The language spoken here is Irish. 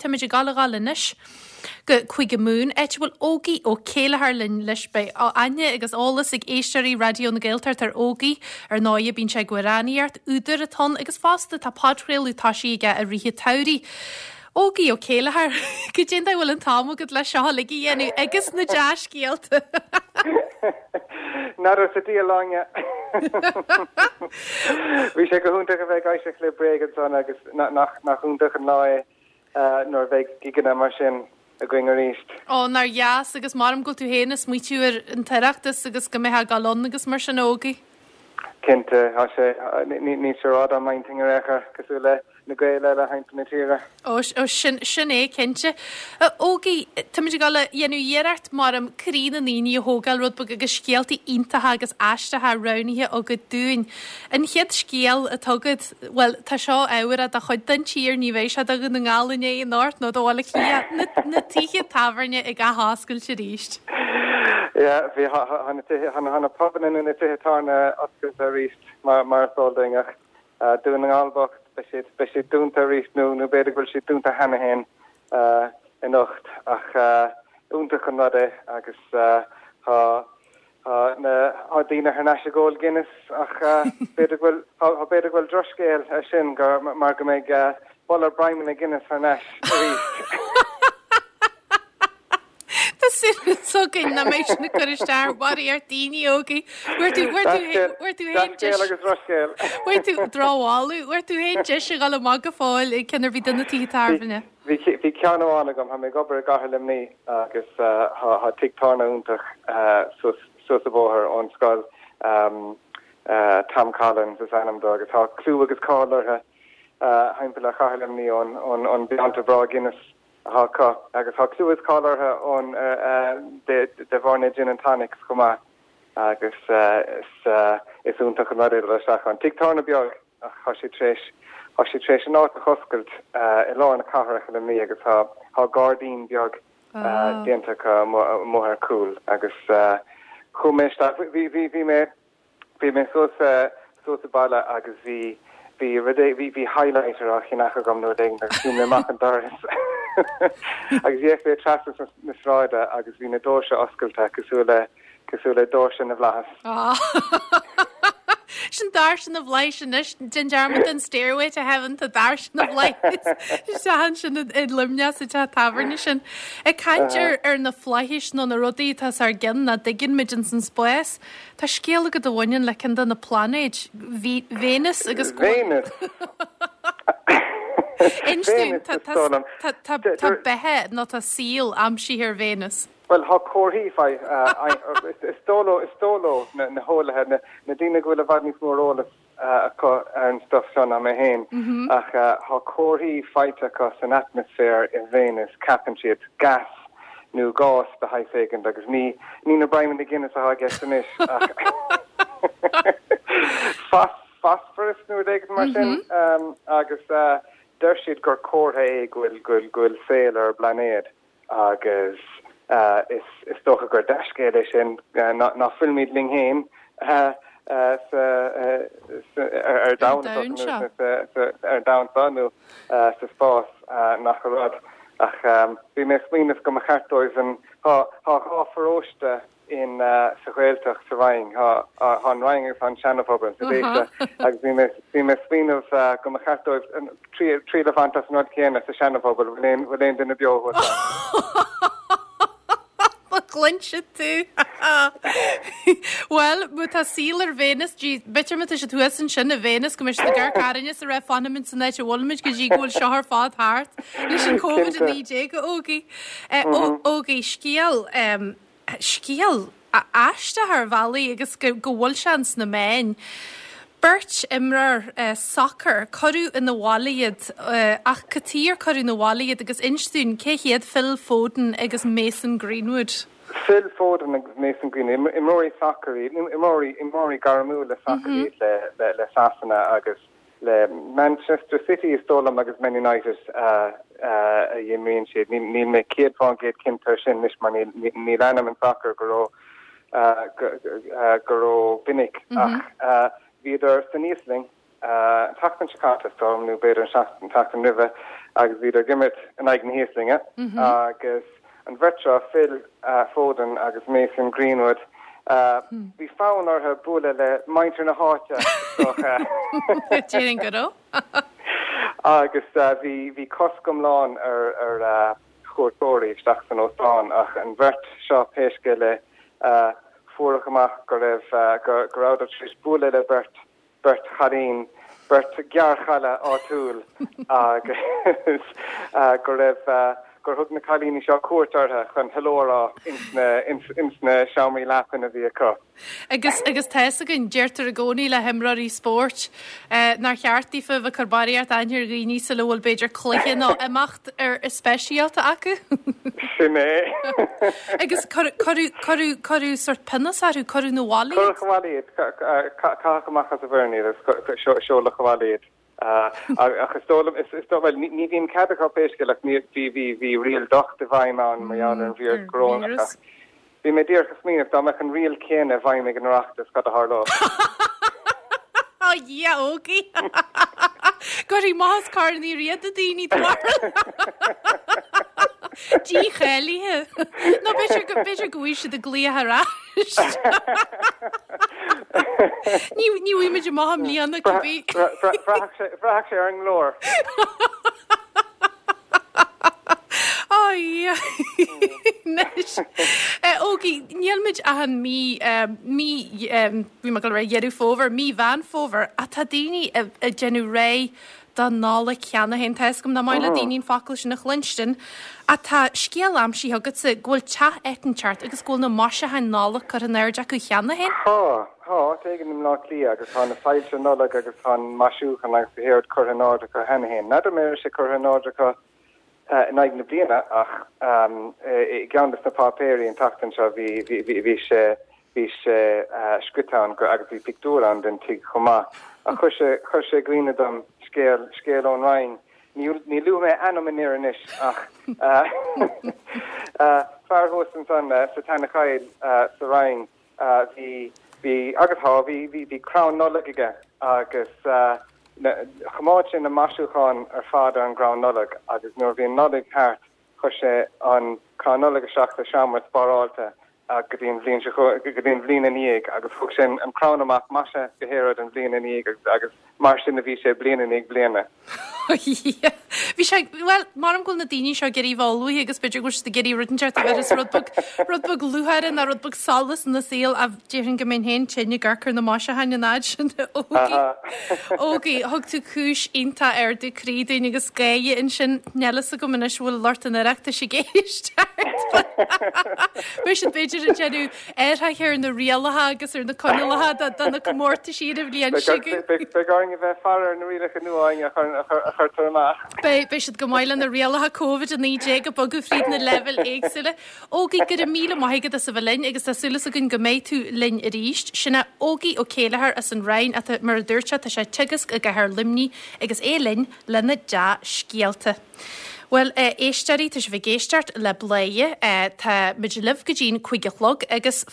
Táimid ag gabháil a dhul anois go Cúige Mumhan, áit a bhfuil Ógie Ó Céilleachair linn leis. Beidh aithne agus eolas ag éisteoirí Raidió na Gaeltachta ar Ógie. Ar ndóighe, bíonn sé ag amhránaíocht, údar atá ann agus fosta tá podchraoladh tosaithe aige i rith an tsamhraidh. Ógie Ó Céilleachair, goidé an dóigh a bhfuil an t-am agat le seo uilig a dhéanamh agus na dea-scéalta? N'fheadar sa diabhal Áine. Bhí sé go hiontach a bheith ag éisteacht le Bréag ansan agus nach iontach an lá é nuair a bheidh gigeanna mar sin againn arís. Ó, nár dheas agus maram go bhfuil tú féin ag smaoitiú ar an tOireachtas agus go mbeifeá ag dul ann agus mar sin, a Ógie. Cinnte, tá sé, níl sé rófhada ó m'intinn ar aon chor, cosúil le na Gaeil eile thimpeall na tíre. Ó, ó, sin, sin é, cinnte. A Ógie, táimid ag dul a dhéanamh iarracht, maram, croí na ndaoine a thógáil rud beag agus scéaltaí iontacha agus aisteacha roghnaithe agat dúinn. An chéad scéal atá agat, bhuel, tá seo ábharach do chuid den tír, ní bheidh sé do Dhún na nGall inné anocht nó do Bhaile Átha Cliath, na, na tithe tábhairne ag athoscailt arís. Yeah, bhí, tá na tithe, tá na pubanna nó na tithe tábhairne oscailte arís mar, mar is eol dúinn ach Dún na nGall bocht, beidh siad, beidh siad dúnta arís nó, nó b'fhéidir go bhfuil siad dúnta cheana féin anocht ach iontach an rud é agus tá, tá na, tá daoine thar n-ais ag ól Guinness ach b'fhéidir go bhfuil, tá, b'fhéidir go bhfuil drochscéal ar sin gur, mar go mbeidh boladh broimeanna Guinness thar n-ais arís. Tá súil againn nach mbeidh sin ag cur isteach ar bharraíocht daoine, Ógie. Bhfuair tú, bhfuair tú, bhfuair tú féin deis. Dea-scéal agus drochscéal. Bhfuair tú drochbholadh, bhfuair tú féin deis a dhul amach go fóill ag ceann ar bith de na tithe tábhairne. Bhí, bhí ceann amháin agam, tá mé ag obair i gcathair Luimnigh agus tá tigh tábhairne iontach suas, suas an bóthar ón scoil, Tom Collins is ainm dó agus tá clú agus cáil orthu thimpeall ar chathair Luimnigh ón, ón bpionta breá Guinness atá acu agus tá clú is cáil orthu ón de bharr na gin and tonics chomh maith agus is iontach an rud é dul isteach ann. Tigh tábhairne beag ach tá siad tar éis tá siad tar éis an áit a dh'oscailt i lár na cathrach i Luimnigh agus tá tá gairdín beag déanta acu amuigh ar cúl agus chuaigh mé isteach bhí bhí bhí mé Bhí mé suas suas sa baile agus bhí bhí rud é bhí bhí highlighter á cheannach agam nó rud éigin agus chuaigh mé amach an doras agus d'fhéach mé trasna na sráide agus bhí na doirse oscailte cosúil le cosúil le doirse na bhflaitheas. Sin doirse na bhflaitheas anois, déan dearmad den Stairway to Heaven tá doirse na bhflaitheas isteach ansin i Luimneach sa teach tábhairne sin. Ag caint ar ar na flaithis nó na rudaí atá os ár gcionn nach dtuigeann muid ins an spás, Tá scéal agat a bhaineann le ceann de na pláinéid, Véineas agus go bhfuil. Véineas! Inis dúinn, tá beatha nó tá saol aimsithe ar Véineas. Bhuel, tá comharthaí fai, is dóigh leo, is dóigh leo, na heolaithe, na daoine go bhfuil i bhfad níos mó ar eolas acu ar an stuff seo ná mé féin, ach tá comharthaí faighte acu san atmaisféar i Véineas, ceapann siad, gas nó gás de shaghas éigint, agus ní, ní na broimeanna Guinness atá i gceist anois, ach phosphorus nó rud éigin mar sin, agus deir siad gur comhartha é go bhfuil, go bhfuil, go bhfuil saol ar an bplainéad. Agus is dócha gur dea-scéal é sin ná fuilimid linn féin ar domhan ar domhan seo nó sa spás nach rud. Ach bhí mé ag smaoineamh go mba cheart dóibh an, tá 2 pharóiste in sa Ghaeltacht sa Rinn. Tá an Rinn agus tá an Seanaphobal sa Déise agus bhí mé bhí mé ag smaoineamh go mba cheart dóibh triail a bhaint as an rud céanna sa Seanaphobal, bhfuil aon bhfuil aon duine beo thuas ann? Má chluinfidh tú! Bhuel, má tá saol ar Véineas, b'fhéidir má tá siad thuas ansin i Véineas go mbeidh siad ag amharc orainne is ag rá fanfaimid san áit a bhfuilimid go dtí go bhfuil seo ar fad thart leis an Covid-19 a Ógie. Ógie, scéal scéal aisteach ar bhealaí agus go bhfuil sé ins na meáin. Beirt imreoir sacair, cuireadh 'na bhaile iad ach cad chuige ar cuireadh 'na bhaile iad agus inis dúinn cé hiad Phil Foden agus Mason Greenwood? Phil Foden agus Mason Greenwood, imreoirí sacair iad, imreoirí, imreoirí gairmiúla sacair iad le, le Sasana agus Le Manchester City is dóigh liom agus Man United a imríonn siad. Níl mé 100% cinnte ar sin anois mar níl leanaim an sacar go ró go ró mhinic ach bhíodar san Íoslainn. An tseachtain seo caite, is dóigh liom, nó b'fhéidir an tseachtain roimhe, agus bhíodar ag imirt in aghaidh na hÍoslainne agus an bheirt seo, Phil Foden agus Mason Greenwood, bhí fonn orthu bualadh le muintir na háite, is dócha. Déarfainn go raibh. Agus bhí cosc iomlán ar chuairteoirí isteach san óstán ach an bheirt seo, pé scéal é, fuaireadh amach go raibh, go rabhadar tar éis bualadh le beirt beirt chailín, beirt ghearrchaile áitiúil agus go raibh, gur thug na cailíní seo cuairt orthu chun hello a rá ins na, ins na seomraí leapan a bhí acu. Agus, agus tá fhios againn, deirtear i gcónaí le himreoirí spóirt, nár cheart daofa a bheith ag cur barraíocht aithne ar dhaoine sula bhfuil b'fhéidir cluiche nó imeacht ar speisialta acu. Sin é. Agus cuireadh, cuireadh, cuireadh sort pionós orthu, cuireadh 'na bhaile iad. Cuireadh abhaile iad, caitheadh amach as an bhfoireann iad agus seoladh abhaile iad. Ach is dóigh liom, is dóigh, bhuel, ní bhíonn cead acu pé scéal ach ní, bhí, bhí, bhí riail docht i bhfeidhm ann mar gheall ar an víreas corónach ach bhí mé díreach ag smaoineamh dá mbeadh an riail chéanna i bhfeidhm ag an Oireachtas, cad a tharlódh? A Dhia, Ógie! Go raibh maith as Corn Uí Riada daoine do bharúil. Dícháilithe. Nó b'fhéidir go, b'fhéidir go bhfaighidh siad ag glaoch ar ais. Ní, ní bhfaighidh muid amach i mbliana cibé. Bhraithfeadh sé ar an nglór. Ai, anois. Ógie, níl muid ach i mí, mí, bhí mé ag dul a rá Dheireadh Fómhair, mí Mheán Fómhair, ach tá daoine ag déanamh réidh don Nollaig cheana féin. Tá fhios agam nach maith le daoine an focal sin a chluinstin, ach tá scéal aimsithe agatsa go bhfuil teach éicinteacht agus go bhfuil na maisiúcháin Nollag curtha in airde acu cheana féin. Tá, tá, áit éigin i mBleá Cliath agus tá na soilse Nollag agus tá an maisiúchán agus gach aon rud curtha in airde acu cheana féin. N'fheadar an raibh sé curtha in airde acu in aghaidh na bliana ach i gceann de na páipéirí an tseachtain seo bhí, bhí, bhí sé, bhí sé scríte ann go, agus bhí pictiúr ann den tigh chomh maith. Ach chuir sé, chuir sé i gcuimhne dom scéal, scéal ón Rinn. Ní, ní luafaidh mé ainm an fhir anois ach fear thuas ansan sa tSeanachoill sa Rinn, Bhí, bhí, agus tá, bhí, bhí, bhí crann Nollag aige agus choimeád sé na maisiúcháin ar fad ar an gcrann Nollag agus nuair a bhí an Nollaig thart chuir sé an crann Nollag isteach sa seomra spáráilte go dtí an bhliain seo, go dtí an bhliain ina dhiaidh agus thug sé an crann amach maisithe go haon rud an bhliain ina dhiaidh agus, agus mar sin a bhí sé bliain i ndiaidh bliana. Bhí sé, bhuel, maram go bhfuil na daoine seo ag iarraidh bheith ullmhaithe agus b'fhéidir go bhfuil siad ag iarraidh rud inteacht a bheireas rud beag, rud beag lúcháire nó rud beag solas ina saol ach déarfainn go mbeinn féin tinn ag amharc ar na maisiúcháin an fhad sin. Ógie, Ógie, thug tú cúis iontach ardú croí dúinn agus gáire ansin. Níl fhios agam anois bhfuil lucht an Oireachtais ag éisteacht. Beidh siad b'fhéidir ag déanamh athruithe ar na rialacha agus ar na coinníollacha do na comórtaisí ar an bhliain seo chugainn. Beidh orainn a bheith ag faire ar na rialacha nua a chuirtear amach. Beidh, beidh siad go maith le na rialacha Covid-19 ag bogadh fríd na leibhéil éagsúla. Ógie, go raibh míle maith agat as a bheith linn agus tá súil againn go mbeidh tú linn arís. Sin é Ógie Ó Céilleachair as an Rinn atá, mar a dúirt sé, tá sé ag teagasc i gcathair Luimnigh agus é linn lena dea-scéalta. Bhuel, a éisteoirí, tá sibh ag éisteacht le Bladhaire. Tá muid libh go dtí'n 5 a chlog agus.